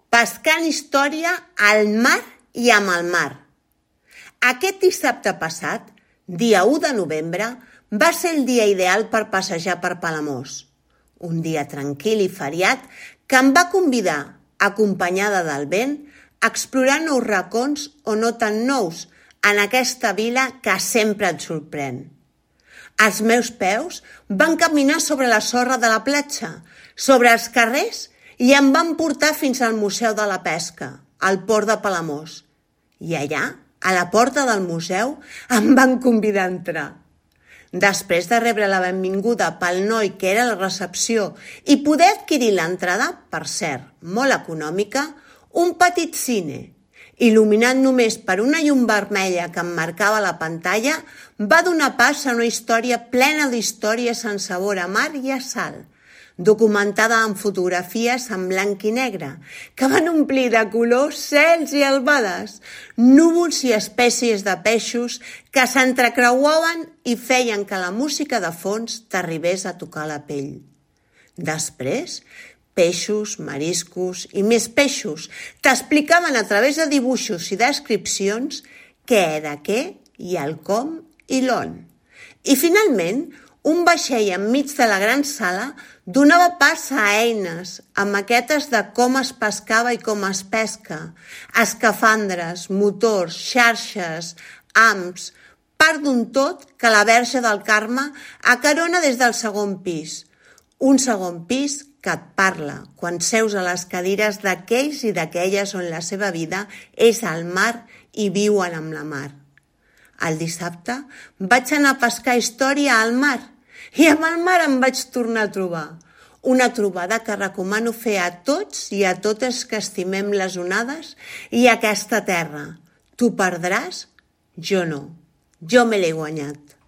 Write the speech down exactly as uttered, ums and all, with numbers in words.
pescant història al mar i amb el mar. Aquest dissabte passat, dia u de novembre, va ser el dia ideal per passejar per Palamós. Un dia tranquil i feriat que em va convidar, acompanyada del vent, a explorar nous racons o no tan nous en aquesta vila que sempre et sorprèn. Els meus peus van caminar sobre la sorra de la platja, sobre els carrers i em van portar fins al Museu de la Pesca, al port de Palamós. I allà, a la porta del museu, em van convidar a entrar. Després de rebre la benvinguda pel noi que era a la recepció i poder adquirir l'entrada, per cert, molt econòmica, un petit cine, il·luminat només per una llum vermella que emmarcava la pantalla, va donar pas a una història plena d'històries en sabor a mar i a sal, documentada amb fotografies en blanc i negre, que van omplir de colors cels i albades, núvols i espècies de peixos que s'entrecreuaven i feien que la música de fons t'arribés a tocar la pell. Després, peixos, mariscos i més peixos t'explicaven a través de dibuixos i descripcions què era què i el com i l'on. I finalment, un vaixell enmig de la gran sala donava pas a eines, a maquetes de com es pescava i com es pesca, escafandres, motors, xarxes, hams, part d'un tot que la Verge del Carme acarona des del segon pis. Un segon pis que et parla quan seus a les cadires d'aquells i d'aquelles on la seva vida és al mar i viuen amb la mar. El dissabte vaig anar a pescar història al mar i amb el mar em vaig tornar a trobar. Una trobada que recomano fer a tots i a totes que estimem les onades i aquesta terra. Tu perdràs? Jo no. Jo me l'he guanyat.